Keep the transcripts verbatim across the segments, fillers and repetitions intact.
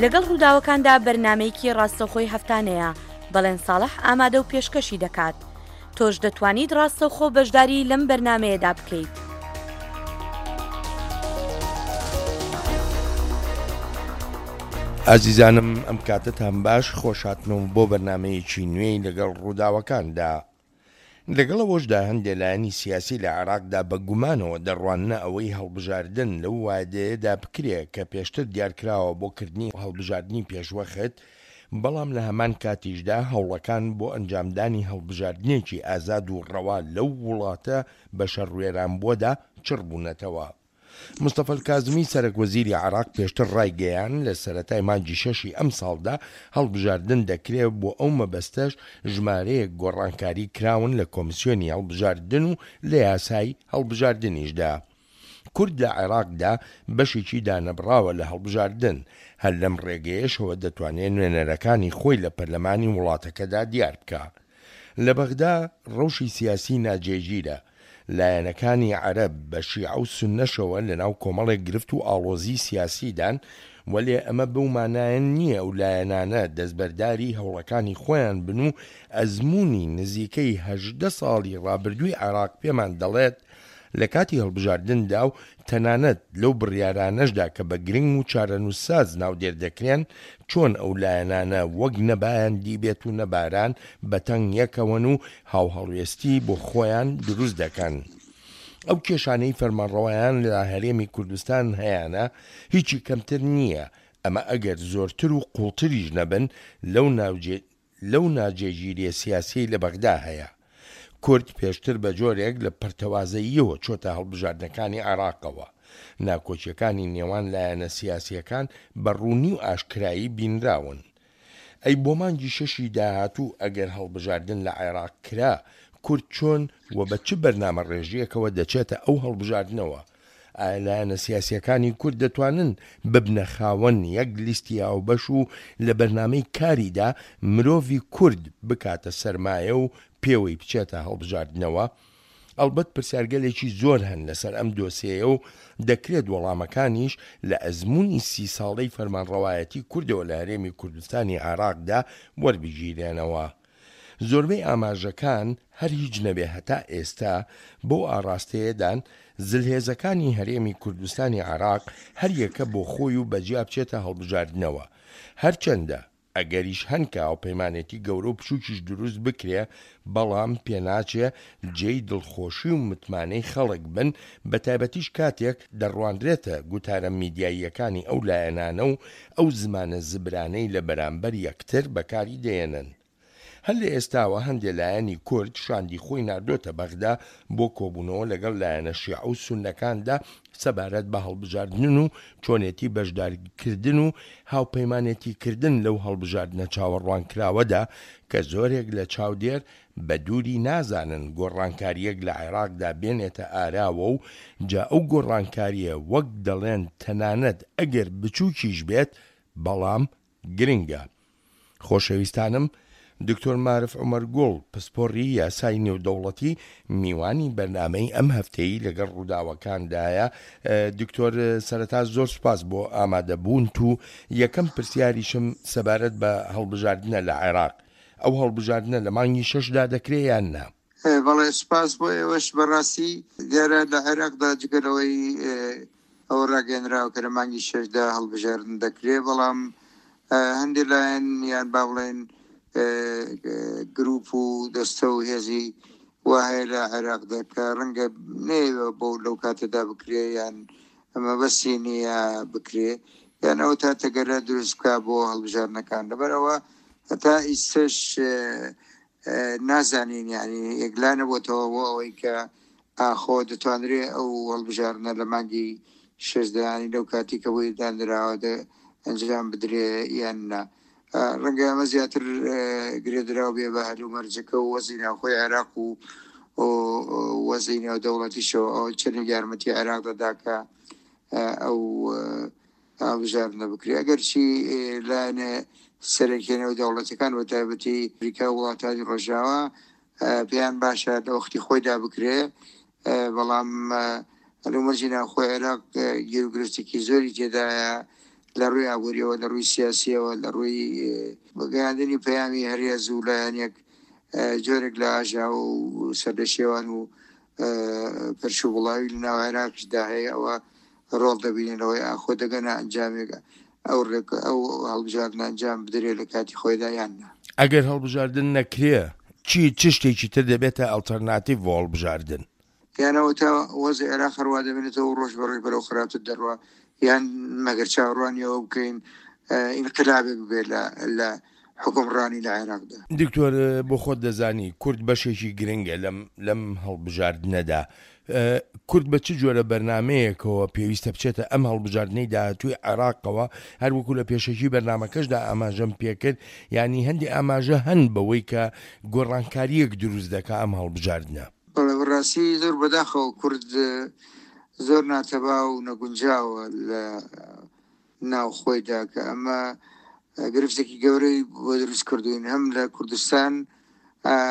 لەگەڵ ڕووداوەکاندا بەرنامەیەکی ڕاستەوخۆی هەفتانەیە، بەڵێن ساڵح ئامادە و پێشکەشی دەکات. تۆش دەتوانیت ڕاستەوخۆ بەشداری لەم بەرنامەیەدا بکەیت. ئازیزانم ئەم کاتەتان باش، خۆشهاتنەوە بۆ بەرنامەیەکی نوێی لەگەڵ ڕووداوەکاندا. لەگەڵ ئەوەشدا هەندێک لایەنی سیاسی لە عێراقدا بە گومانەوە دەڕواننە ئەوەی هەڵبژاردن لەو وادەیەدا بکرێ کە پێشتر دیارکراوە بۆ کردنی هەڵبژاردنی پێشوەخت، بەڵام لە هەمان کاتیشدا هەوڵەکان بۆ ئەنجامدانی هەڵبژاردنێکی ئازاد و ڕەوا لەو وڵاتە بە شەڕوێرانبووەدا چڕ بوونەتەوە. مستەفا کازمی سەرەک وەزیری عێراق پێشتر ڕایگەیان لە سەرەتای مانگی شەشی ئەمساڵدا هەڵبژاردن دەکرێت، بۆ ئەو مەبەستەش ژمارەیەک گۆڕانکاری کراون لە کۆمیسیۆنی هەڵبژاردن و لە یاسای هەڵبژاردنیشدا. کورد لە عێراقدا بەشێکی دانەبڕاوە لە هەڵبژاردن، هەر لەم ڕێگەیەشەوە دەتوانێت نوێنەرەکانی خۆی لە پەرلەمانی وڵاتەکەدا دیار بکا. لە بەغدا ڕەوشی سیاسی ناجێگیرە، لایەنەکانی عەرەب بە شیعە و سوننەشەوە لەناو کۆمەڵێک گرفت و ئاڵۆزی سیاسیدان، وەلێ ئەمە بەو مانایە نییە ئەو لایەنانە دەستبەرداری هەوڵەکانی خۆیان بن و ئەزموونی نزیکەی هەژدە ساڵی ڕابردووی عێراق پێمان دەڵێت لە کاتی هەڵبژاردندا و تەنانەت لەو بڕیارانەشدا کە بە گرنگ و چارەنووسساز ناودێر دەکرێن، چۆن ئەو لایەنانە وەک نەبایان دیبێت و نەباران بەتەنگ یەکەوەن و هاوهەڵوێستی بۆ خۆیان دروست دەکەن. ئەو کێشانەی فەرمانڕەوایان لە هەرێمی کوردستان هەیانە هیچی کەمتر نییە، ئەمە ئەگەر زۆرتر و قوڵتریش نەبن لەو ناوجێ لەو ناجێگیریە سیاسیەی لە بەغدا هەیە. کورد پێشتر بە جۆرێک لە پەرتەوازەییەوە چۆتە هەڵبژاردنەکانی عێراقەوە. ناکۆکیەکانی نێوان لایەنە سیاسیەکان بە ڕوونی و ئاشکرایی بینراون. ئەی بۆ مانگی شەشی داهاتوو ئەگەر هەڵبژاردن لە عێراق کرا، کورد چۆن و بە چ بەرنامە ڕێژیەکەوە دەچێتە ئەو هەڵبژاردنەوە؟ ئایا لایەنە سیاسیەکانی کورد دەتوانن ببنە خاوەن یەک لیستی هاوبەش و لە بەرنامەی کاریدا مرۆڤی کورد بکاتە سەرمایە و پێوەی بچێتە هەڵبژاردنەوە؟ ئەڵبەت پرسیارگەلێکی زۆر هەن لەسەر ئەم دۆسیەیە و دەکرێت وەڵامەکانیش لە ئەزموونی سی ساڵەی فەرمانڕەوایەتی کوردەوە لە هەرێمی کوردستانی عێراقدا وەربگیرێنەوە. زۆربەی ئاماژەکان هەر هیچ نەبێ هەتا ئێستا بەو ئاڕاستەیەدان زلهێزەکانی هەرێمی کوردستانی عێراق هەر یەکە بۆ خۆی و بەجیا بچێتە هەڵبژاردنەوە. هەرچەندە ئەگەریش هەن کە هاوپەیمانێتی گەورە و بچووکیش دروست بکرێ، بەڵام پێناچێ جێی دڵخۆشی و متمانەی خەڵک بن، بەتایبەتیش کاتێک دەڕوانرێتە گوتارە میدیاییەکانی ئەو لایەنانە و ئەو زمانە زبرانەی لە بەرامبەر یەکتر بەکاری دێنن. هەر لە ئێستاوە هەندێ لایەنی کورد شاندی خۆی ناردۆتە بەغدا بۆ کۆبوونەوە لەگەڵ لایەنە شیعە و سوننەکاندا سەبارەت بە هەڵبژاردنن و چۆنێتی بەشداریکردن و هاوپەیمانێتیکردن لەو هەڵبژاردنە چاوەڕوانکراوەدا کە زۆرێک لە چاودێر بە دووری نازانن گۆڕانکارییەک لە عێراقدا بێنێتە ئاراوە و جا ئەو گۆڕانکارییە وەک دەڵێن تەنانەت ئەگەر بچووکیش بێت بەڵام گرنگە. خۆشەویستانم دکتۆر مارف عومەر گوڵ، پسپۆڕی یاسای نێودەوڵەتی، میوانی بەرنامەی ئەم هەفتەی لەگەڵ ڕووداوەکاندایە. دکتۆر سەرەتا زۆر سوپاس بۆ ئامادەبوونت و یەکەم پرسیاریشم سەبارەت بە هەڵبژاردنە لە عێراق، ئەو هەڵبژاردنە لە مانگی شەشدا دەکرێ یان نا؟ بەڵێ سوپاس بۆ ئێوەش. بەڕاستی دیارە لە عێراقدا جگە لەوەی ئەوە ڕاگەیەنراوە کە لە مانگی شەشدا هەڵبژاردن دەکرێ، بەڵام هەندێک لایەن یان با بڵێن گروپ و دەستە و هێزی وا هەیە لە عێراقدا کە ڕەنگە نەیەوێ بۆ لەو کاتەدا بکرێ یان مەبەستی نییە بکرێ یان ئەوە تا تەگەرە دروست بکا بۆ هەڵبژاردنەکان. لەبەرئەوە هەتا ئیستەش نازانین، یعنی یەکلا نەبووتەوە بۆ ئەوەی کە ئاخۆ دەتوانرێ ئەو هەڵبژاردنە لە مانگی شەشدا، یعنی لەو کاتی کە بۆی دانراوە ئەنجام بدرێ یان نا. ڕەنگە ئەمە زیاتر گرێدراو بێ بە هەلومەرجەکە و وەزی ناوخۆی عێراق و وەزی نێودەوڵەتیشەوە، ئەوە چەندێک یارمەتی عێراق دەدا کە ئەو هەڵبژاردنە بکرێ. ئەگەرچی لایەنە سەرەکیە نێودەوڵەتەکان بە تایبەتی ئەمریکا و وڵاتانی ڕۆژاوا پێیان باشە لە وەختی خۆیدا بکرێ، بەڵام هەلومەرجی ناوخۆی عێراق گیروگرفتێکی زۆری تێدایە لە ڕووی ئابووریەوە، لە ڕووی سیاسیەوە، لە ڕووی گەیاندنی پەیامی هەرێز و لایەنێک جۆرێک لە ئاژاوە و سەرلەشێوان و پەرش و بڵاوی لە ناو عێراقیشدا هەیە، ئەوە ڕۆڵ دەبیننەوەی ئاخۆ دەگەنە ئەنجامێک ئەو ئەو هەڵبژاردن ئەنجام بدرێت لە کاتی خۆیدا یان نا. ئەگەر هەڵبژاردن نەکرێ چی چ شتێکی تر دەبێتە ئەڵتەرناتیڤ بۆ هەڵبژاردن؟ یانەوە تا وەزع عێراق هەروە دەبێنێتەوە ڕۆژ بە ڕۆژ بەرەو خراپتر دەڕوا، یان مەگەر چاوەڕوانی ئەوە بکەین ئینقلابێک بێت لە حکومڕانی لە عێراقدا. دکتۆر بۆ خۆت دەزانی کورد بەشێکی گرنگە لەم لەم هەڵبژاردنەدا. کورد بە چ جۆرە بەرنمەیەکەوە پێویستە بچێتە ئەم هەڵبژاردنەی داهاتووی عێراقەوە؟ هەروەکو لە پێشەکی بەرنمەکەشدا ئاماژەم پێکرد، یعنی هەندێک ئاماژە هەن بەوەی کە گۆڕانکاریەک دروست دەکا ئەم هەڵبژاردنە. بەڵێ بەڕاستی زۆر بەداخەوە کورد زۆر ناتەبا و نەگونجاوە لە ناو خۆیدا، کە ئەمە گرفتێکی گەورەی بۆ دروست کردوین، هەم لە کوردستان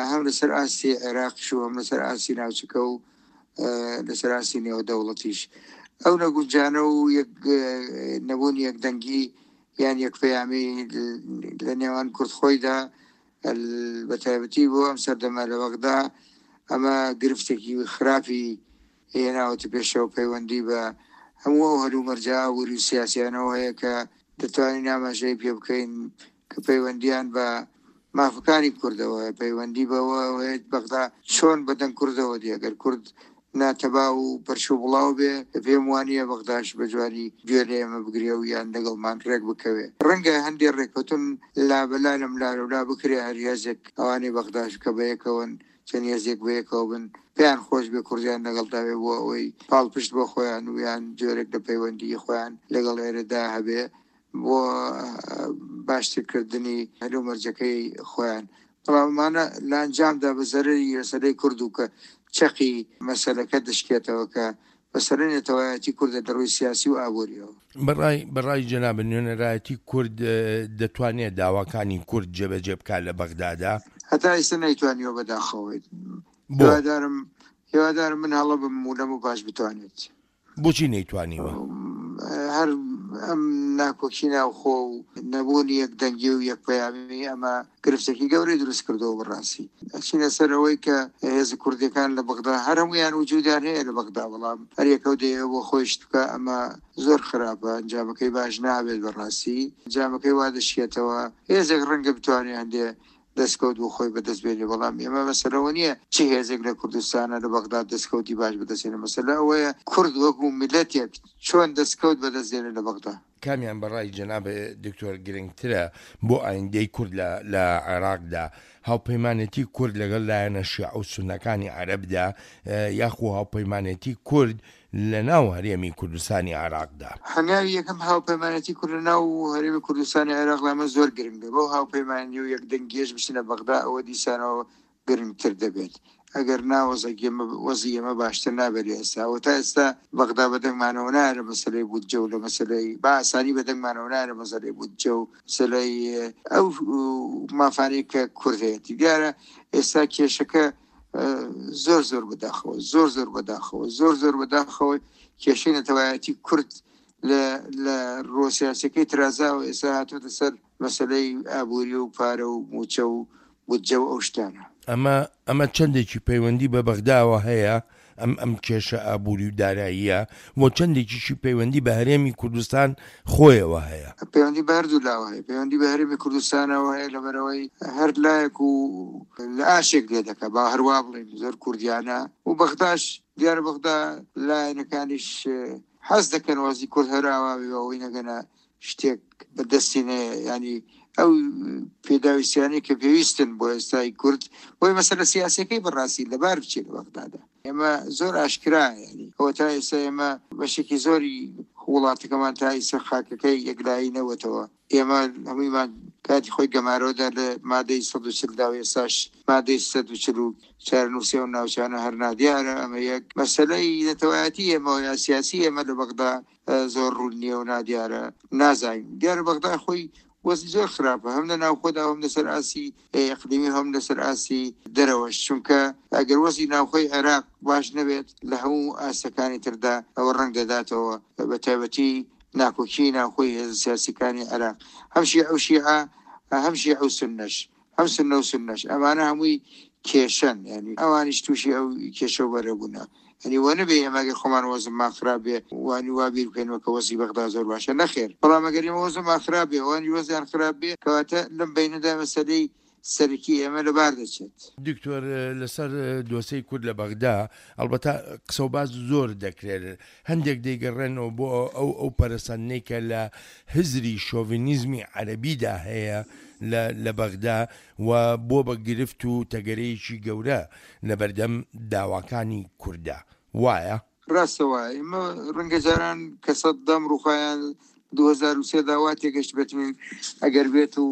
هەم لەسەر ئاستی عێراقیش و هەم لەسەر ئاستی ناوچەکە و لەسەر ئاستی نێودەوڵەتیش. ئەو نەگونجانە و نەبوونی یەکدەنگی یان یەکپەیامی لە نێوان کورد خۆیدا بە تایبەتی بۆ ئەم سەردەمە لە بەغدا ئەمە گرفتێکی خراپی هێناوەتە پێشەوە، پەیوەندی بە هەموو ئەو هەلومەرجە ئابووری و سیاسیانەوە هەیە کە دەتوانین ئاماژەی پێ بکەین کە پەیوەندیان بە مافەکانی کوردەوە، پەیوەندی بەوە هەیە بەغدا چۆن بەدەنگ کوردەوە دێ. ئەگەر کورد ناتەبا و پەرش و بڵاو بێ پێم وانییە بەغداش بە جوانی گوێ لە ئێمە بگرێ و یان لەگەڵمان ڕێک بکەوێ. ڕەنگە هەندێک ڕێککەوتن لابەلا لەم لاولا بکرێ، هەر هێزێک ئەوانەی بەغداش کە بەیەکەوەن چەند هێزێک بەیەکەوە بن پێیان خۆش بێ کوردیان لەگەڵدا بێ بۆ ئەوەی پاڵپشت بۆ خۆیان و یان جۆرێک لە پەیوەندی خۆیان لەگەڵ ئێرەدا هەبێ بۆ باشترکردنی هەلومەرجەکەی خۆیان. بەڵام ئەمانە لە ئەنجامدا بە زەرەری مەسەلەی کورد و کە چەقی مەسەلەکە دەشکێتەوە کە مەسەلەی نەتەوایەتی کوردە لە ڕووی سیاسی و ئابووریەوە. بەڕای بەڕای جەناب نوێنەرایەتی کورد دەتوانێت داواکانی کورد جێبەجێ بکات لە بەغدادا؟ هەتا ئێستا نەیتوانیوە بەداخەوە. هیوادارم هیوادارم من هەڵە بم و لەم و باش بتوانێت. بۆچی نەیتوانیوە؟ هەر ئەم ناکۆکی ناوخۆ و نەبوونی یەکدەنگی و یەکپەیامی ئەمە گرفتێکی گەورەی دروست کردەوە بەڕاستی. ئەچینە سەر ئەوەی کە هێزە کوردیەکان لە بەغدا هەر هەمویان وجودیان هەیە لە بەغدا، بەڵام هەر یەکەو دەیەوە بۆ خۆی شت بکە، ئەمە زۆر خراپە، ئەنجامەکەی باش نابێت بەڕاستی. ئەنجامەکەی وا دەشێتەوە هێزێک ڕەنگە بتوانێت هەندێ دەستکەوت بۆ خۆی بەدەست بێنێ، بەڵام ئێمە مەسەلەوە نییە چه هێزێک لە کوردستانە لە بەغداد دەستکەوتی باش بەدەستێنێ، مەسەلە ئەوەیە کورد وەکو میلەتێک چۆن دەستکەوت بەدەست دێنێ لە بەغدا. کامیان بەڕای جەناب دکتۆر گرنگترە بۆ ئایندەی کورد لە عێراقدا؟ هاوپەیمانێتی کورد لەگەڵ لایەنە شیعە و سوننەکانی عەرەبدا یاخو هاوپەیمانێتی کورد لە ناو هەرێمی کوردستانی عێراقدا؟ هەنگاوی یەکەم هاوپەیمانێتی کورد لە ناو هەرێمی کوردستانی عێراقدا ئەمە زۆر گرنگە. بەو هاوپەیمانی و یەکدەنگیەش بچنە بەغدا ئەوە دیسانەوە گرنگتر دەبێت. ئەگەر وەزی ئێمە باشتر نابێت لە ئێستا. ئەوە تا ئێستا بەغدا بەدەنگمانەوە نایە لە مەسەلەی بودجە و لە مەسەلەی بە ئاسانی بەدەنگمانەوە نایە لە مەسەلەی بودجە و مەسەلەی ئەو مافانەی کە کورد هەیەتی. دیارە ئێستا کێشەکە زۆر زۆر بەداخەوە، زۆر زۆر بەداخەوە، زۆر زۆر بەداخەوە کێشەی نەتەوایەتی کورد لە ڕۆ سیاسەکەی ترازاوە ئێستا هاتووەتە سەر مەسەلەی ئابووری و پارە و موچە و بودجە و ئەو شتانە. ئەمە ئەمە چەندێکی پەیوەندی بە بەغداوە هەیە ئەم ئەم کێشە ئابووری و داراییە و چەندێکیشی پەیوەندی بە هەرێمی کوردستان خۆیەوە هەیە؟ پەیوەندی بە هەردوو لاوە هەیە. پەیوەندی بە هەرێمی کوردستانەوە هەیە لەبەرەوەی هەر لایەک و لە ئاشێک لێ دەکا، با هەروە بڵێین زۆر کوردیانە و بەغداش دیارە بەغدا لایەنەکانیش حەز دەکەن وەزی کورد هەراوا بێ ئەوەی نەگەنە شتێک بەدەستی نەیە، ینی ئەو پێداویستیانەی کە پێویستن بۆ ئێستای کورد بۆی مەسەلە سیاسیەکەی بەڕاستی لەبار بچێت لە بەغدادا. ئێمە زۆر ئاشکرا، ینی ئەوە تا ئێستا ئێمە بەشێکی زۆری وڵاتەکەمان تا ئێستا خاکەکەی یەکلایی نەوەتەوە. ئێمە هەموویمان کاتی خۆی گەمارۆدا لە مادەی سەد و چل دا و ئێستاش مادەی سەد و چل و چارەنووسی ئەو ناوچانە هەر نادیارە. ئەمە یەک مەسەلەی نەتەوایەتی ئێمە یا سیاسی ئێمە لە بەغدا زۆر ڕوون نییە و نادیارە، نازانین. دیارە بەغدا خۆی وەزی زۆر خراپە، هەم لە ناوخۆدا هەم لەسەر ئاسی ئەقلیمی هەم لەسەر ئاسی دەرەوەش، چونکە ئەگەر وەزی ناوخۆی عێراق باش نەبێت لە هەموو ئاستەکانی تردا ئەوە ڕەنگ دەداتەوە، بە تایبەتی ناکۆکی ناوخۆی هێزە سیاسیەکانی عێراق، هەم شیعە و شیعە، هەم شیعە و سوننەش، هەم سوننە و سوننەش، ئەمانە هەمووی کێشەن، یعنی ئەوانیش تووشی ئەو کێشە و بەرە بوونە. یعنی وە نەبێ ئێمە ئەگەر خۆمان وەزممان خراپ بێ وانی وا بیر بکەینەوە کە وەزی بەغدا زۆر باشە، نەخێر. بەڵام ئەگەر ئێمە وەزممان خراپ بێ ئەوانیش وەزیان خراپ بێ، کەواتە لەم بەینەدا مەسەلەی سەرەکی ئێمە لەبار دەچێت. دکتۆر، لەسەر دۆسەی کورد لە بەغدا ئەلبەتە قسە و باس زۆر دەکرێت، هەندێک دەیگەڕێنەوە بۆ ئەو ئەو پەرەسەندنەی کە لە هزری شۆڤینیزمی عەرەبیدا هەیە لە بەغدا و بۆ بە گرفت و تەگەرەیەکی گەورە لەبەردەم داواکانی کووردا، وایە؟ ڕاستە وایە. ئێمە ڕەنگە جاران کە سەددام ڕووخایان دوو هەزار و سێ دا وا تێگەشت بێتین ئەگەر بێت و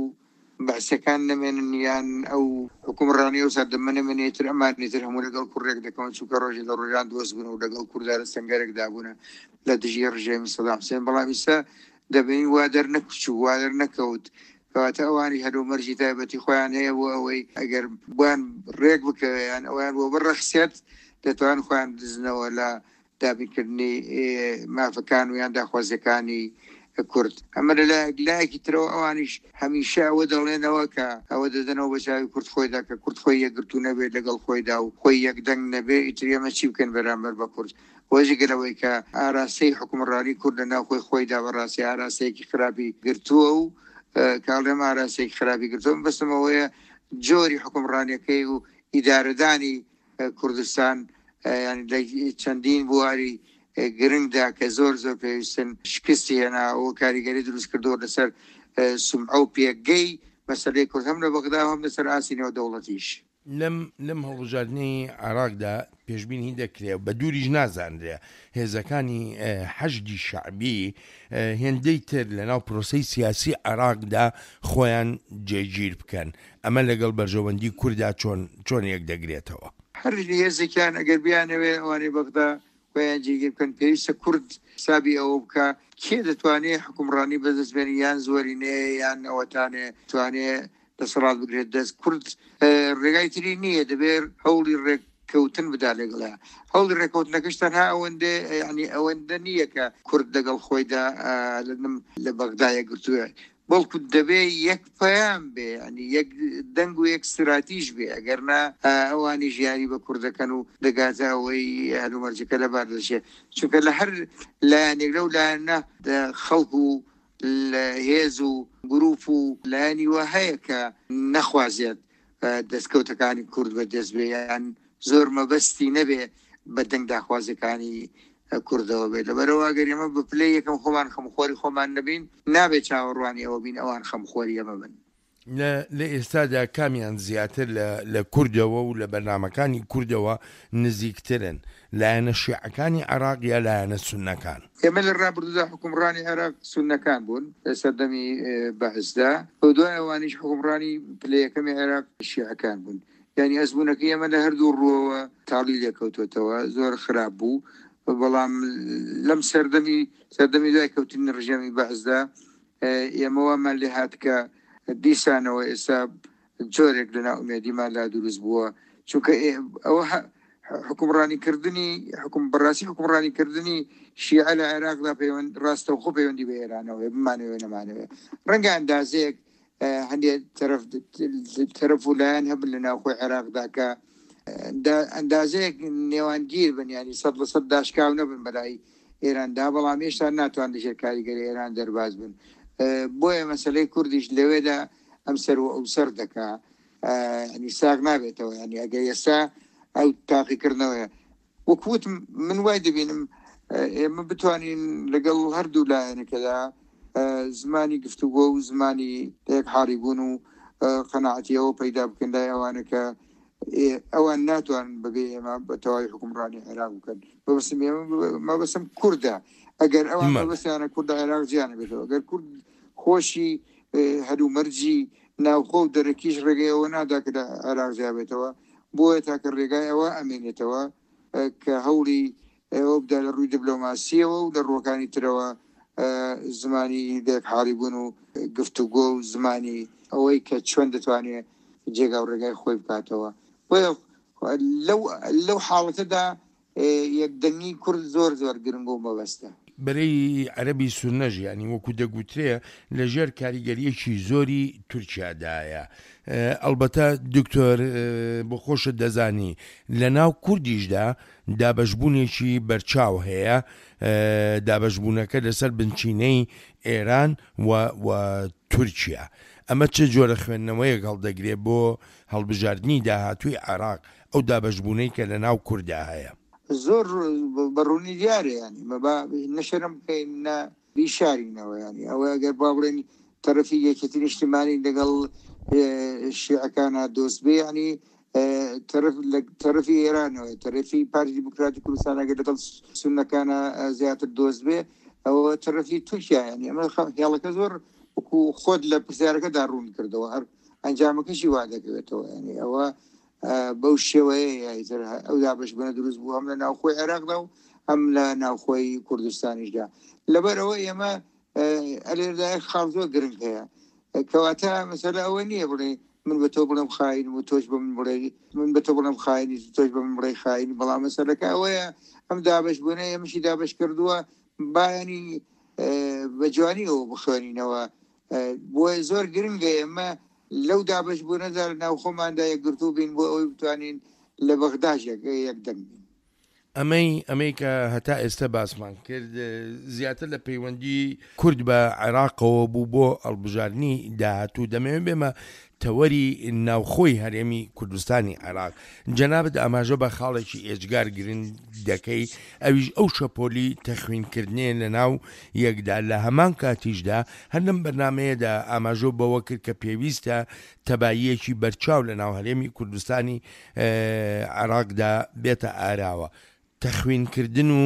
بەعسەکان نەمێنن یان ئەو حکومڕانی ئەو سەردەمە نەمێنێ، تر ئەمانی تر هەموو لەگەڵ کوڕێک دەکەون، چونکە ڕۆژێ لە ڕۆژان دۆست بوون و لەگەڵ کورددا لە سەنگەرێکدا بوونە لە دژی ڕژێمی سەدام حوسێن. بەڵام ئیستا دەبینین وا دەرنەکچوو، وا دەرنەکەوت، کەواتە ئەوانی هەلومەرجی تایبەتی خۆیان هەیە بۆ ئەوەی ئەگەر بۆیان ڕێک بکەوێ یان ئەویان بۆ بڕەخسێت دەتوان خۆیان بدزنەوە لە دابینکردنی مافەکان و یان داخوازیەکانی کورد. ئەمە لەلایەک، لایەکی ترەوە ئەوانیش هەمیشە ئەوە دەڵێنەوە کە ئەوە دەدەنەوە بە چاوی کورد خۆیدا کە کورد خۆی یەکگرتوو نەبێت لەگەڵ خۆیدا و خۆی یەکدەنگ نەبێ، ئیتر ئێمە چی بکەین بەرامبەر بە کورد؟ وەجگە لەوەی کە ئاراستەی حکومڕانی کورد لە ناوخۆی خۆیدا بەڕاستی ئاراستەیەکی خراپی گرتووە و کاڵێم ئاراستەیەکی خراپی گرتووە، بەستم ئەوەیە جۆری حکومڕانیەکەی و ئیدارەدانی کوردستان یعنی لە چەندین بواری گرنگدا کە زۆر زۆر پێویستن شکستی هێنا و کاریگەری دروست کردووە لەسەر سومعە و پێگەی مەسەلەی کورد هەم لە بەغدا و هەم لەسەر ئاستی نێودەوڵەتیش. لەم لەم هەڵبژاردنەی عێراقدا پێشبینی دەکرێت بە دووریش نازانرێ هێزەکانی حەشدی شەعبی هێندەی تر لەناو پرۆسەی سیاسی عێراقدا خۆیان جێگیر بکەن، ئەمە لەگەڵ بەرژەوەندی کووردا چۆن چۆن یەک دەگرێتەوە؟ هەر هێزێکیان ئەگەر بیانەوێ ئەوانەی بەغدا خۆیان جێگیر بکەن، پێویستە کورد حسابی ئەوە بکە کێ دەتوانێت حکومڕانی بەدەست بێنێ، یان زۆرینەیە یان ئەوەتانێ توانێ دەسەڵات بگرێت دەست. کورد ڕێگای تری نییە، دەبێت هەوڵی ڕێککەوتن بدا لەگەڵە. هەوڵی ڕێککەوتنەکەش تەنها ئەوەندە، یعنی ئەوەندە نییە کە کورد لەگەڵ خۆیدا لە بەغدا یەکگرتووە، بەڵکو دەبێ یەک پەیام بێ، یعنی یەک دەنگ و یەک استراتیژ بێ، ئەگەر نا ئەوانی ژیاری بە کوردەکەن و دەگاتە ئەوەی هەلومەرجەکە لەبار دەچێت. چونکە لە هەر لایەنێک لەو لایەنە خەڵک و هێز و گروپ و لایەنی وا هەیە کە نەخوازێت دەستکەوتەکانی کورد بەدەست بێ، یان زۆر مەبەستی نەبێ بە دەنگ داخوازیەکانی کوردەوە بێت. لەبەرەوە ئەگەر ئێمە بە پلەی یەکەم خۆمان خەمخۆری خۆمان نەبین، نابێت چاوەڕوانی ئەوە بین ئەوان خەمخۆری ئێمە بن. لە ئێستادا کامیان زیاتر لە کوردەوە و لە بەرنامەکانی کوردەوە نزیکترن، لایەنە شیعەکانی عێراق یا لایەنە سوننەکان؟ ئێمە لە ڕابردوودا حکومڕانی عێراق سوننەکان بوون لە سەردەمی بەعسدا، و دوای ئەوانیش حکومڕانی پلە یەکەمی عێراق شیعەکان بوون. یعنی ئەزموونەکەی ئێمە لە هەردوو ڕووەوە تاڵی لێکەوتوێتەوە، زۆر خراپ بوو. بەڵام لەم سەردەمی سەردەمی دوای کەوتنی ڕژێمی بەعسدا ئێمە وامان لێ هات کە دیسانەوە ئێستا جۆرێک لە نائومێدیمان لا دروست بووە، چونکە ئەوە حکومڕانیکردنی حکوم بەڕاستی حکومڕانیکردنی شیعە لە عێراقدا پەیوەند ڕاستەوخۆ پەیوەندی بە ئێرانەوە بمانەوێ نەمانەوێ. ڕەنگە ئەندازەیەک هەندێک تەرەف تەرەف و لایەن هەبن لە ناوخۆی عێراقدا کە ئەندازەیەک نێوانگیر بن، ینی سەد لە سەد داشکاو نەبن بەلای ئێراندا، بەڵام هێشتا ناتوان لەژێر کاریگەری ئێران دەرباز بن. بۆیە مەسلەی کوردیش لەوێدا ئەم سەر و ئەو سەر دەکا، ینی ساغ نابێتەوە. ینی ئەگەر ئێستا ئەو تاقیکردنەوەیە وەکوتم من وای دەبینم ئێمە بتوانین لەگەڵ هەردوو لایەنەکەدا زمانی گفتوگۆ و زمانی یەک حاڵی بوون و قەناعەتیەوە پەیدا بکەن لای ئەوانە کە ئەوان ناتوانن بەبێ ئێمە بە تەواوی حکومڕانی عێراق بکەن. مەبەستم ئێمە مەبەستم کوردە، ئەگەر ئەوان مەبەستیانە کوردە عێراق جیانە بێتەوە، ئەگەر کورد خۆشی هەلومەرجی ناوخۆ و دەرەکیش ڕێگەیەوە نادا کە لە عێراق جیا بێتەوە، بۆیە تاکە ڕێگای ئەوە ئەمێنێتەوە کە هەوڵی ئەوە بدا لە ڕووی دیبلۆماسیەوە و لە ڕووەکانی ترەوە زمانی لێک حاڵی بوون و گفتوگۆ و زمانی ئەوەی کە چۆن دەتوانێت جێگا و ڕێگای خۆی بکاتەوە. بۆیە لەو لەو حاڵەتەدا یەکدەنگی کورد زۆر زۆر گرنگ و مەبەستە. بەرەی عەرەبی سوننەش یانی وەکو دەگوترێ لەژێر کاریگەرییەکی زۆری تورکیادایە. ئەڵبەتە دکتۆر بۆ خۆشت دەزانی لە ناو کوردیشدا دابەشبوونێکی بەرچاو هەیە، دابەشبوونەکە لەسەر بنچینەی ئێران و و تورکیا. ئەمە چ جۆرە خوێندنەوەیەک هەڵدەگرێ بۆ هەڵبژاردنی داهاتووی عێراق، ئەو دابەشبوونەی کە لە ناو کوردا هەیە؟ زۆر بە ڕوونی دیارە، یانی با نە شەرم بکەین نە بیشارینەوە، یانی ئەوە ئەگەر با بڵێن تەرەفی یەکێتی نیشتیمانی لەگەڵ شیعەکانە دۆست بێ، یانی تەرەف لە تەرەفی ئێرانەوە، تەرەفی پارتی دیموکراتی کوردستان ئەگەر لەگەڵ سوننەکانە زیاتر دۆست بێ، ئەوە تەرەفی تورکیا. یانی ئەمە هێڵەکە زۆر وەکو خۆت لە پرسیارەکەدا ڕوون کردەوە، هەر ئەنجامەکەشی وا دەکەوێتەوە. یانی ئەوە بەو شێوەیە ئەو دابەشبوونە دروست بوو هەم لە ناوخۆی عێراقدا و هەم لە ناوخۆی کوردستانیشدا. لەبەرەوە ئێمە ئەلێردا یەک خاڵ زۆر گرنگ هەیە، کەواتە مەسەلە ئەوە نییە بڵێ من بە تۆ بڵێم خاین و تۆش بە من بڵێ من بە تۆ بڵێم خاینی تۆش بە من بڵێ خاین، بەڵام مەسەلەکە ئەوەیە ئەم دابەشبوونە ئێمەشی دابەش کردووە، بایانی بە جوانیەوە بخوێنینەوە. بۆیە زۆر گرنگە ئێمە لەو دابەشبوونەدا لە ناوخۆماندا یەکگرتوو بین بۆ ئەوەی بتوانین لە بەغداش یەکدەنگ بین. ئەمەی ئەمەی کە هەتا ئێستا باسمان کرد زیاتر لە پەیوەندی کورد بە عێراقەوە بوو بۆ هەڵبژاردنی داهاتوو. دەمەوێت بێمە تەوەری ناوخۆی هەرێمی کوردستانی عێراق. جەنابت ئاماژە بە خاڵێکی ئێجگار گرنگ دەکەی، ئەویش ئەو شەپۆلی تەخوینکردنێ لە ناو یەکدا. لە هەمان کاتیشدا هەر لەم بەرنمەیەدا ئاماژە بەوە کرد کە پێویستە تەباییەکی بەرچاو لە ناو هەرێمی کوردستانی عێراقدا بێتە ئاراوە. تەخوینکردن و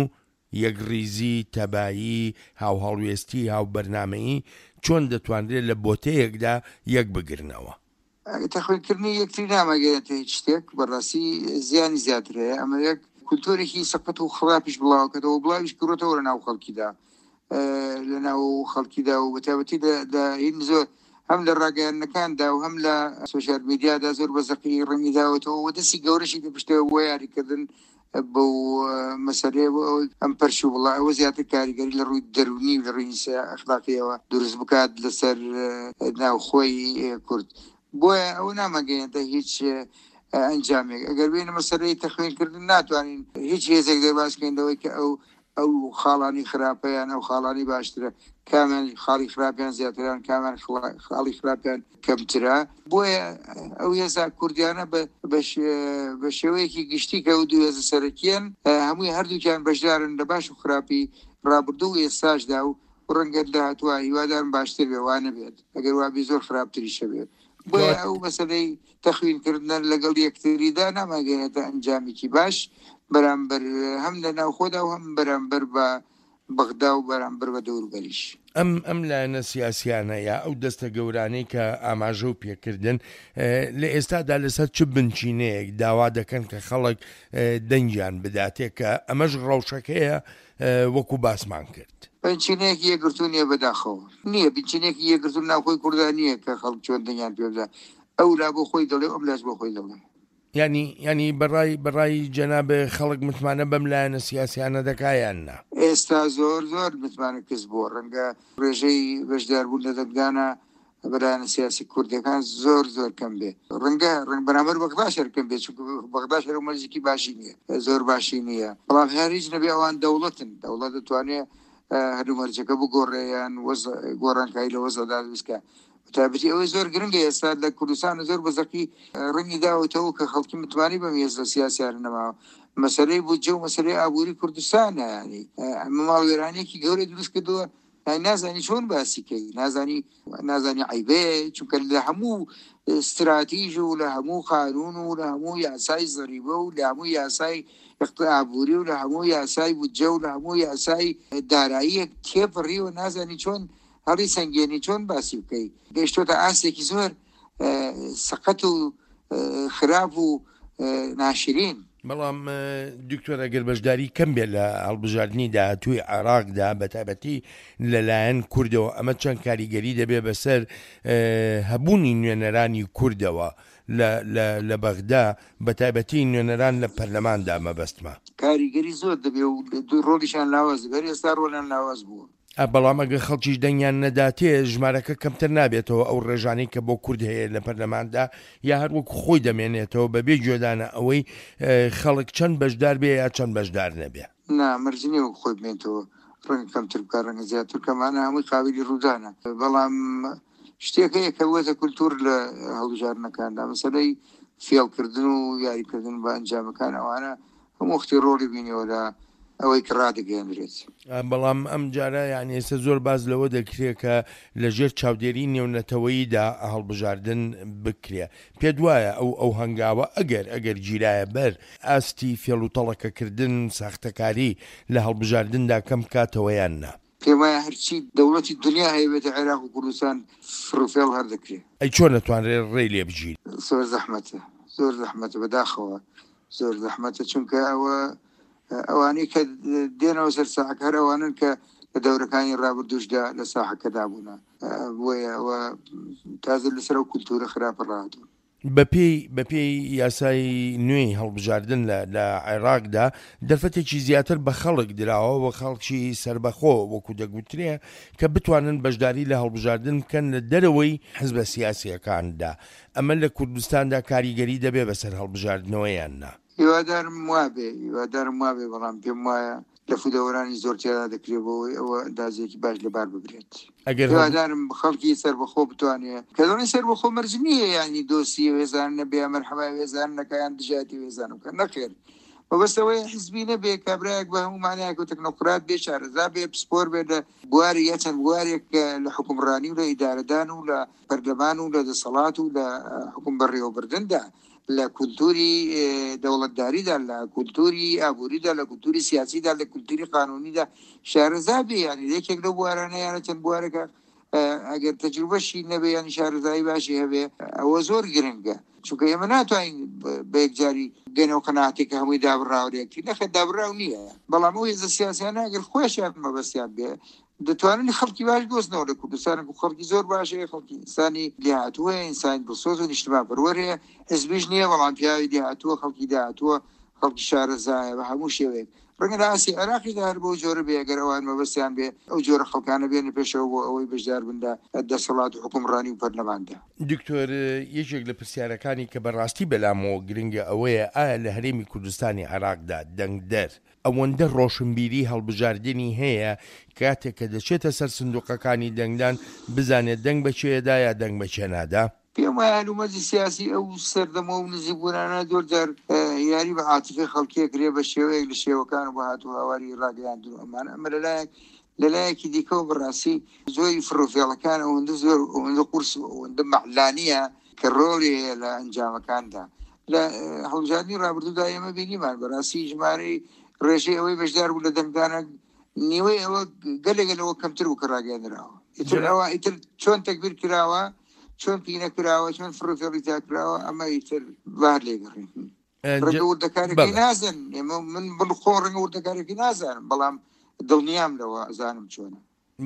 یەکڕیزی، تەبایی، هاوهەڵوێستی، هاوبەرنامەیی چۆن دەتوانرێت لە بۆتەیەکدا یەک بگرنەوە؟ تەخوینکردنی یەکتری نامەگەێتە هیچ شتێک، بەڕاستی زیانی زیاتر هەیە. ئەمە یەک کولتۆرێکی سەقەت و خراپیش بڵاوکردەوە، بڵاویش کردەوە لە ناو خەڵکیدا، لە ناو خەڵکیدا و بەتایبەتی لە هین زۆر هەم لە ڕاگەیاندنەکاندا و هەم لە سۆشیال میدیادا زۆر بە زەقی ڕەنگی داوەتەوە و دەستی گەورەشی لە پشتەوە بۆ یاریکردن بەو مەسەلەیە بۆ ئەوەی ئەم پەرش و بڵا ئەوە زیاتر کاریگەری لە ڕووی دەرونی و لە ڕووی ئەخلاقیەوە دروست بکات لەسەر ناوخۆی کورد. بۆیە ئەو نامەگەیەنتە هیچ ئەنجامێک. ئەگەر بێنە مەسەلەی تەخوینکردن ناتوانین هیچ هێزێک دەربازکەین لەوەی کە ئەو ئەو خاڵانی خراپەیان ئەو خاڵانی باشترە، کامیان خاڵی خراپیان زیاتران، کامیان خاڵی خراپیان کەمترە. بۆیە ئەو هێزا کوردیانە بە شێوەیەکی گشتی کە ئەو دوو هێزە سەرەکیان هەمووی هەردووکیان بەشدارن لە باش و خراپی ڕابردوو و ئێستاشدا و ڕەنگە داهاتووە هیوادارم باشتر بێ وا نەبێت، ئەگەر وابێ زۆر خراپتریشە بێت. بۆیە ئەو مەسەلەی تەخوینکردنە لەگەڵ یەکتریدا ناماگەێنێتە ئەنجامێکی باش بەرامبەر هەم لە ناوخۆدا و هەم بەرامبەر بە بەغدا و بەرامبەر بە دەوروبەریش. ئەم ئەم لایەنە سیاسیانە یا ئەو دەستە گەورانەی کە ئاماژە و پێکردن لە ئێستادا لەسەر چ بنچینەیەک داوا دەکەن کە خەڵک دەنگیان بداتێ کە ئەمەش ڕەوشەکەیە وەکو باسمان کرد؟ بنچینەیەکی یەکگرتوو نییە بەداخەوە، نییە بنچینەیەکی یەکگرتوو ناوخۆی کورددا نییە کە خەڵک چۆن دەنگیان پێ بدات. ئەو لا بۆ خۆی دەڵێ ئەم لاش بۆ خۆی دەڵێ. یعنی یعنی بەڕای بەڕای جەناب خەڵک متمانە بەم لایەنە سیاسیانە دەکا یان نا؟ ئێستا زۆر زۆر متمانە کەس بووە. ڕەنگە ڕێژەی بەشداربوون لە دەنگدانە بەلایەنە سیاسی کوردەکان زۆر زۆر کەم بێ. ڕەنگە ڕەنگ بەرامبەر بەغداش هەر کەم بێ، چونکە بەغداش هەر مەرجێکی باشی نییە، زۆر باشی نییە. بەڵام هەر هیچ نەبێ ئەوان دەوڵەتن، دەوڵەت دەتوانێت هەردوو مەرجەکە بگۆڕێ یان گۆڕانکاری لە وەزعدا دروست بکات. تایبەتی ئەوەی زۆر گرنگە ئێستا لە کوردستان زۆر بەزەقی ڕەنگی داوەتەوە کە خەڵکی متمانەی بەم هێزە سیاسیانە نەماوە. مەسەلەی بودجە و مەسەلەی ئابووری کوردستانە، یعنی ئەمە ماڵوێرانیەکی گەورەی دروست کردووە، نازانی چۆن باسی کەی، نازانی نازانی عیبەیە، چونکە لە هەموو استراتیژ و لە هەموو قانون و لە هەموو یاسای زەریبە و لە هەموو یاسای ئابووری و لە هەموو یاسای بودجە و لە هەموو یاسای داراییەک تێپەڕیوە، نازانی چۆن هەڵی سەنگێنی، چۆن باسی بکەی. گەیشتۆتە ئاستێکی زۆر سەقەت و خراپ و ناشرین. بەڵام دکتۆر ئەگەر بەشداری کەم بێت لە هەڵبژاردنی داهاتووی عێراقدا بەتایبەتی لەلایەن کوردەوە، ئەمە چەند کاریگەری دەبێت بەسەر هەبوونی نوێنەرانی کوردەوە لە بەغدا، بەتایبەتی نوێنەران لە پەرلەماندا مەبەستمە؟ کاریگەری زۆر دەبێت و ڕۆڵیشان لاواز دەبێت، ئێستا ڕۆڵیان لاواز بووە. بەڵام ئەگەر خەڵکیش دەنگیان نەداتێ ژمارەکە کەمتر نابێتەوە ئەو ڕێژانەی کە بۆ کورد هەیە لە پەرلەماندا، یا هەر وەکو خۆی دەمێنێتەوە بەبێ گوێدانە ئەوەی خەڵک چەند بەشدار بێ یا چەند بەشدار نەبێ؟ نا، مەرج نییە وەک خۆی بمێنێتەوە، ڕەنگە کەمتر بکات، ڕەنگە زیاتر بکات، ئەمانە هەمووی قابلی ڕوودانە. بەڵام شتێک هەیە کە بووەتە کولتوور لە هەڵبژاردنەکاندا، مەسەلەی فێڵکردن و یاریکردن بە ئەنجامەکان، ئەوانە هەموو وەختی ڕۆڵی بینیەوە لە ئەوەی کە ڕادەگەیەنرێت. بەڵام ئەم جارە یعنی ئێستا زۆر باز لەوە دەکرێت کە لەژێر چاودێری نێونەتەوەییدا هەڵبژاردن بکرێ. پێت وایە ئەو ئەو هەنگاوە ئەگەر ئەگەر گیرایە بەر ئاستی فێڵ و تەڵەکەکردن ساختەکاری لە هەڵبژاردندا کەم بکاتەوە یان نا؟ پێم وایە هەرچی دەوڵەتی دنیا هەیە بێتە عێراق و کوردستان فڕوفێڵ هەر دەکرێت. ئەی چۆن نەتوانرێت ڕێی لێ بگیرێت؟ زۆر زەحمەتە، زۆر زەحمەتە، بەداخەوە زۆر زەحمەتە، چونکە ئەوە ئەوانەی کە دێنەوە سەر ساحەکە هەر ئەوانن کە لە دەورەکانی ڕابردووشدا لە ساحەکەدا بوونە، بۆیە ئەوە تازە لەسەر ئەو کولتوورە خراپە ڕاهاتوون. بەپێی بەپێی یاسای نوێی هەڵبژاردن لە عێراقدا دەرفەتێکی زیاتر بە خەڵک دراوە و خەڵکی سربەخۆ وەکو دەگوترێ کە بتوانن بەشداری لە هەڵبژاردن بکەن لە دەرەوەی حزبە سیاسیەکاندا. ئەمە لە کوردستاندا کاریگەری دەبێ بەسەر هەڵبژاردنەوەیان نا؟ هیوادارم وابێ، هیوادارم وابێ، بەڵام پێم وایە لە فودەوەرانی زۆر تێدا دەکرێت بۆ ئەوەی ئەوە ئەندازێکی باش لەبار ببرێت. ئەگەر هیوادارم خەڵکی سەربەخۆ بتوانێت، کە دەڵێن سەربەخۆ مەرج نییە یعنی دۆستی وێزان نەبێ، مەرحەبای وێزان نەکە یان دژایەتی وێزان بکە، نەخێر. مەبەستەوەی حزبی نەبێ، کابرایەک بە هەموو مانایەک و تەکنۆکرات بێ، شارەزا بێ، پسپۆر بێ لە بواری یا چەند بوارێک لە حکومڕانی و لە ئیدارەدان و لە پەرلەمان و لە دەسەڵات و لە حکوم بەڕێوەبردندا، لە کولتوری دەوڵەتداریدا، لە کولتوری ئابووریدا، لە کولتوری سیاسیدا، لە کولتوری قانونیدا شارەزا بێ. یعنی یەکێک لەو بوارانە یانە چەند بوارێکە ئەگەر تەجروبەشی نەبێ یعنی شارەزایی باشی هەبێ، ئەوە زۆر گرنگە، چونکە ئێمە ناتوانین بە یەکجاری گەنەوە قەناعەتێک کە هەمووی دابڕاو لێکتری. نەخێر دابڕاو نییە، بەڵام ئەو هێزە سیاسیانە ئەگەر خۆشیان مەبەستیان بێ دەتوانن خەڵکی باش دۆزنەوە لە کوردستان، و خەڵکی زۆر باش هەیە، خەڵکی ئینسانی لێهاتووە، ئینسانی دڵسۆز و نیشتمانپەروەر هەیە، حزبیش نییە بەڵام پیاوی لێهاتووە، خەڵکی داهاتووە، خەڵکی شارەزایە بە هەموو شێوەیەک. ڕەنگە لە ئاستی عێراقیشدا هەر بەو جۆرە بێ، ئەگەر ئەوان مەبەستیان بێ ئەو جۆرە خەڵکانە بێنە پێشەوە بۆ ئەوەی بەشدار بن لە دەسەڵات و حکومڕانی و پەرلەماندا. دکتۆر، یەکێک لە پرسیارەکانی کە بەڕاستی بەلامەوە گرنگە ئەوەیە ئایا لە هەرێمی کوردستانی عێراقدا دەنگدەر ئەوەندە ڕۆشنبیری هەڵبژاردنی هەیە کاتێک کە دەچێتە سەر سندوقەکانی دەنگدان بزانێت دەنگ بەچێدا یا دەنگ بەچێ نادا؟ پێم وایە هەلومەرجی سیاسی ئەو سەردەمە و نزیکبوونانە زۆر جار یاری بە عاتیفەی خەڵکیە کرێ بە شێوەیەک لە شێوەکان و بە هات و هاواری ڕاگەیاندن و ئەمانە. ئەمە لەلایەک، لەلایەکی دیکەوە بەڕاستی زۆری فڕوفێڵەکان ئەوەندە زۆر ئەوەندە قورس و ئەوەندە مەعلانیە کە ڕۆڵی هەیە لە ئەنجامەکاندا. لە هەڵبژاردنی ڕابردوودا ئێمە بینیمان بەڕاستی ژمارەی ڕێژەی ئەوەی بەشدار بوو لە دەنگدانە نیوەی ئەوە گەلێک لەوە کەمتر بوو کە ڕاگەیاندراوە. ئیتر ئەوە ئیتر چۆن تەکبیر کراوە، چۆن پینە کراوە، چۆن فڕوفێڵی تا کراوە، ئەمە ئیتر بار لێگەڕین. ڕەنگە وردەکارێکی نازن، ئێمە من بڵخۆ ڕەنگە وردەکارێکی نازانم، بەڵام دڵنیام لەوە ئەزانم چۆنە.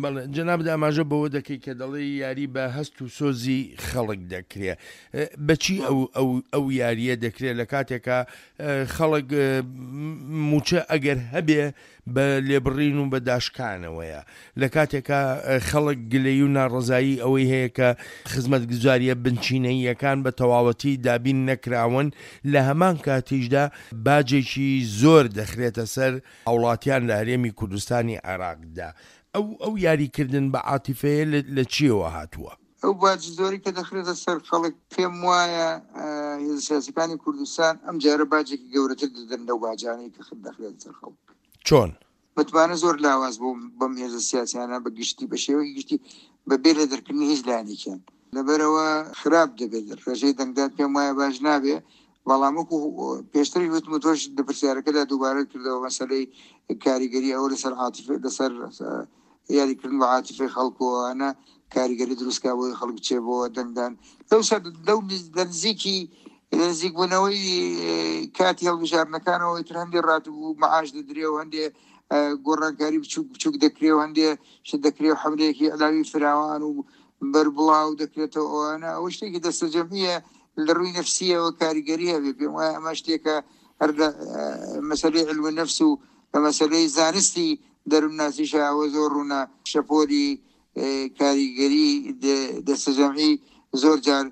بەڵێ جەنابت ئاماژە بەوە دەکەی کە دەڵێ یاری بە هەست و سۆزی خەڵک دەکرێ. بەچی ئەو ئەو ئەو یاریە دەکرێت لە کاتێکە خەڵک موچە ئەگەر هەبێ بە لێبڕین و بە داشکانەوەیە، لە کاتێکە خەڵک گلەی و ناڕەزایی ئەوەی هەیە کە خزمەتگوزاریە بنچینەییەکان بە تەواوەتی دابین نەکراون، لە هەمان کاتیشدا باجێکی زۆر دەخرێتە سەر هاوڵاتیان لە هەرێمی کوردستانی عێراقدا. ئەو ئەو یاریکردن بە عاتیفەیە لە چیەوە هاتووە؟ ئەو باج زۆری کە دەخرێتە سەر خەڵک پێم وایە هێزە سیاسەکانی کوردستان ئەم جارە باجێکی گەورەتر دەدەن لەو باجانەی کە دەخرێتە سەر خەڵک. چۆن؟ متمانە زۆر لاواز بوو بەم هێزە سیاسیانە بە گشتی، بە شێوەیەکی گشتی بە بێ لە دەرکردنی هیچ لایەنێکیان، لەبەرەوە خراپ دەبێت. ڕێژەی دەنگدان پێم وایە باش نابێ، بەڵام وەکو پێشتری وتم و تۆش لە پرسیارەکەدا دووبارە کردەوە مەسەلەی کاریگەری ئەوە لەسەر عاتیفە، لەسەر یاریکردن بە عاتیفەی خەڵکەوەە کاریگەری دروستکا بۆی خەڵک بچێ بۆ دەنگدان. لەو سەر لەو لە نزیکی نزیکبوونەوەی کاتی هەڵبژاردنەکانەوە ئیتر هەندێ ڕاتب و مەعاش دەدرێ و هەندێ گۆڕانکاری بچووک بچووک دەکرێ و هەندێ شت دەکرێ و حەملەیەکی ئیعلامی فراوان و بەربڵاو دەکرێتەوە. ئەوانە ئەوە شتێکی دەستەجەمعیە لە ڕووی نەفسیەوە کاریگەری هەبێ. پێم وایە ئەمە شتێکە هەر لە مەسەلەی علم نەفس و لە مەسەلەی زانستی دەروونناسیشە ئەوە زۆر ڕوونە. شەپۆلی کاریگەری دەستەجەمعی زۆر جار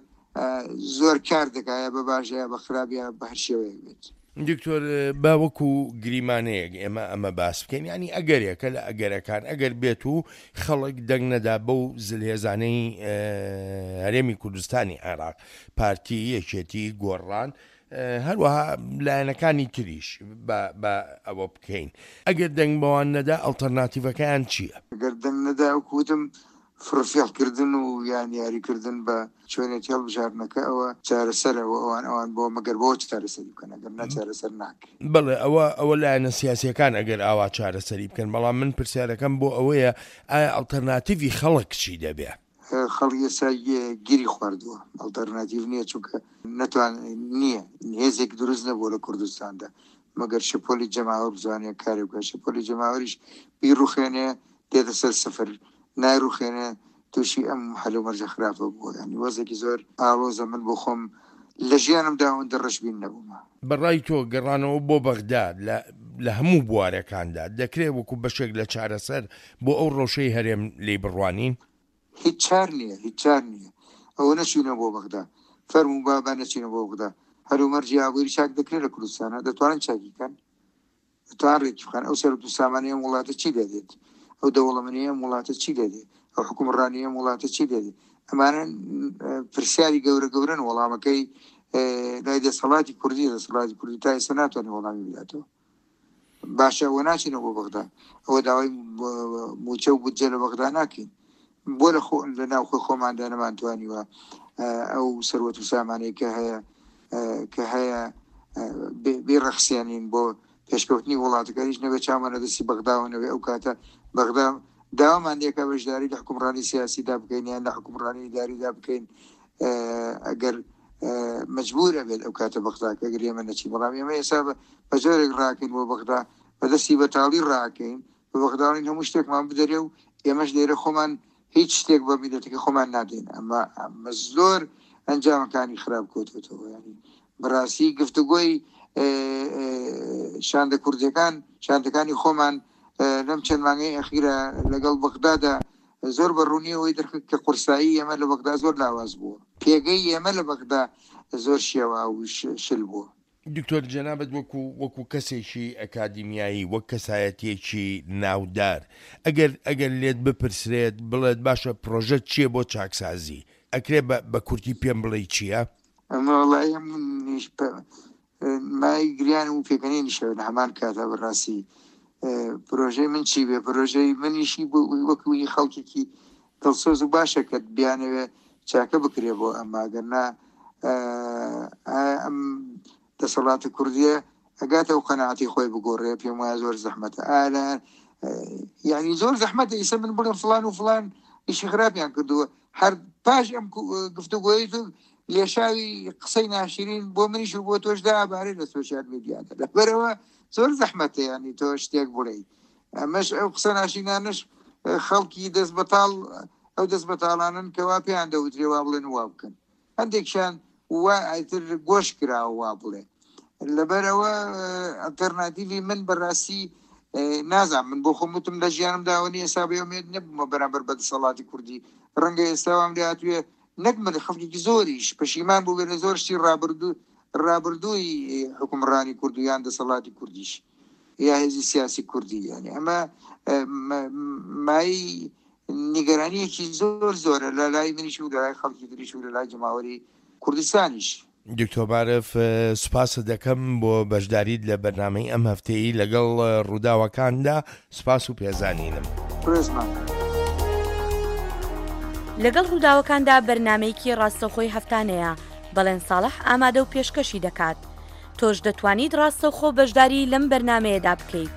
زۆر کار دەکا، یا بە باش یا بە خراپ یا بە هەر شێوەیەک بێت. دکتۆر با وەکو گریمانەیەک ئێمە ئەمە باس بکەین، ینی ئەگەرێکە لە ئەگەرەکان ئەگەر بێت و خەڵک دەنگ نەدا بەو زلهێزانەی هەرێمی کوردستانی عێراق، پارتی، یەکێتی، گۆڕان، هەروەها لایەنەکانی تریش بە ئەوە بکەین، ئەگەر دەنگ بەوان نەدا ئەڵتەرناتیڤەکەیان چییە؟ ئەگەر دەنگ نەدا وەکو وتم فڕفێڵکردن و یان یاریکردن بە چۆنێتی هەڵبژاردنەکە ئەوە چارەسەرەوە ئەوان ئەوان بۆ مەگەر بۆ چارەسەری بکەن، ئەگەر نا چارەسەر ناکرێت. بەڵێ ئەوە ئەوە لایەنە سیاسیەکان ئەگەر ئاوا چارەسەری بکەن، بەڵام من پرسیارەکەم بۆ ئەوەیە ئایا ئەڵتەرناتیڤی خەڵک چی دەبێ؟ خەڵک ئێستا گیری خواردووە، ئەڵتەرناتیڤ نییە، چونکە نەتوان نییە هێزێک دروست نەبووە لە کوردستاندا مەگەر شەپۆلی جەماوەر بزانێ کارێ بکات. شەپۆلی جەماوەریش بیڕوخێنێ دێتە سەر سفر، نایڕوخێنێ تووشی ئەم هەلومەرجە خراپە بووە. ینی وەزێکی زۆر ئاڵۆزە. من بۆ خۆم لە ژیانمدا ئەوەندە ڕەشبین نەبوومە. بەڕای تۆ گەڕانەوە بۆ بەغدا لە هەموو بوارەکاندا دەکرێت وەکو بەشێک لە چارەسەر بۆ ئەو ڕەوشەی هەرێم لێی بڕوانین؟ هیچ چار نییە، هیچ چار نییە. ئەوە نەچوونە بۆ بەغدا، فەرموو با با نەچینە بۆ بەغدا. هەلومەرجی ئابووری چاک دەکرێت لە کوردستانە، دەتوانن چاکی بکەن، دەتوانن ڕێکی بخەن. ئەو سەرەت و سامانەی ئەم وڵاتە چی لێ دێت؟ ئەو دەوڵەمەنی ئەم وڵاتە چی لێ دێت؟ ئەو حکومڕانی ئەم وڵاتە چی لێ دێت؟ ئەمانە پرسیاری گەورە گەورەن. وەڵامەکەی لای دەسەڵاتی کوردی، دەسەڵاتی کوردی تا ئێستا ناتوانێت وەڵامی بداتەوە. باشە ئەوە ناچینەوە بۆ بەغدا، ئەوە داوای موچە و بودجە لە بەغدا ناکەین. بۆ لە ناوخۆی خۆماندا نەمانتوانیوە ئەو سەروەت و سامانەی کە هەیە کە هەیە بێڕەخسێنین بۆ پێشکەوتنی وڵاتەکە. هیچ نەبێت چاومان لە دەستی بەغداوە نەبێ. ئەو کاتە بەغدا داوامان لێکا بەشداری لە حکومڕانی سیاسیدا بکەین یان لە حکومڕانی ئیداریدا بکەین، ئەگەر مەجبورە بێت ئەو کاتە بەغدا کە ئەگەر ئێمە نەچین. بەڵام ئێمە ئێستا بە جۆرێک ڕاکەین بۆ بەغدا، بەدەستی بەتاڵی ڕاکەین، بە بەغداڵین هەموو شتێکمان بدەرێ و ئێمەش لێرە خۆمان هیچ شتێک بە میلەتەکە خۆمان نادەین. ئەمە ئەمە زۆر ئەنجامەکانی خراپ کەوتوەتەوە. ینی بەڕاستی گفتوگۆی شاندە کوردیەکان، شاندەکانی خۆمان لەم چەند مانگەی ئەخیرە لەگەڵ بەغدادا زۆر بە ڕوونی ئەوەی دەرکرد کە قورسایی ئێمە لە بەغدا زۆر لاواز بووە، پێگەی ئێمە لە بەغدا زۆر شێوا و شل بووە. دکتۆر جەنابەت وەکو وەکو کەسێکی ئەکادیمیایی، وەک کەسایەتیەکی ناودار، ئەگەر ئەگەر لێت بپرسرێت بڵێت باشە پرۆژە چییە بۆ چاکسازی، ئەکرێ بە کورتی پێم بڵێ چییە؟ ئەمە وەڵی منیش مای گریان و پێکەنینیشەوە لە هەمان کاتا. بەڕاستی پرۆژەی من چی بێ؟ پرۆژەی منیشی وەکوی خەڵکێکی دڵسۆز و باشە کە بیانەوێ چاکە بکرێ بۆ ئەمە. ئەگەر نا ئەم دەسەڵاتە کوردیە ئەگاتە و قەناعەتی خۆی بگۆڕێ، پێم وایە زۆر زەحمەتە. ئالا یعنی زۆر زەحمەتە ئیسە من بڵێم فلان و فلان ئیشی خراپیان کردووە. هەر پاش ئەم گفتوگۆی تو لێشاوی قسەی ناشرین بۆ منیش و بۆ تۆش دابارێ لە سۆشیال میدیادا. لەبەرەوە زۆر زەحمەتە ینی تۆ شتێک بڵێ. ئەمەش ئەو قسە ناشرینانەش خەڵکی دەست بەتاڵ، ئەو دەست بەتاڵانن کەوا پێیان دەوترێ وا بڵێن وا بکەن، هەندێکیان وا ئیتر گۆش کراوە وا بڵێ. لەبەرەوە ئەلتەرناتیڤی من بەڕاستی نازانم. من بۆ خۆم وتم لە ژیانمدا ئەوە نییە ئێستا بێ ئومێد نەبوومە بەرامبەر بە دەسەڵاتی کوردی. ڕەنگە ئێستا وام لێ هاتوێ نەک من، خەڵکێکی زۆریش پەشیمان بوو بێ لە زۆر شتی ڕابردووی حکومڕانی کوردی یان دەسەڵاتی کوردیش یا هێزی سیاسی کوردی. یعنی ئەمە مای نیگەرانیەکی زۆر زۆرە لە لای منیش و لە لای خەڵکی تریش و لە لای جەماوەری کوردستانیش. دکتۆر مارف، سوپاست دەکەم بۆ بەشداریت لە بەرنامەی ئەم هەفتەیە لەگەڵ ڕووداوەکاندا. سوپاس و پێزانینم. ڕێزمان. لەگەڵ ڕووداوەکاندا بەرنمەیەکی ڕاستەوخۆی هەفتانەیە، بەڵێن ساڵح ئامادە و پێشکەشی دەکات. تۆش دەتوانیت ڕاستەوخۆ بەشداری لەم بەرنمەیەدا بکەیت.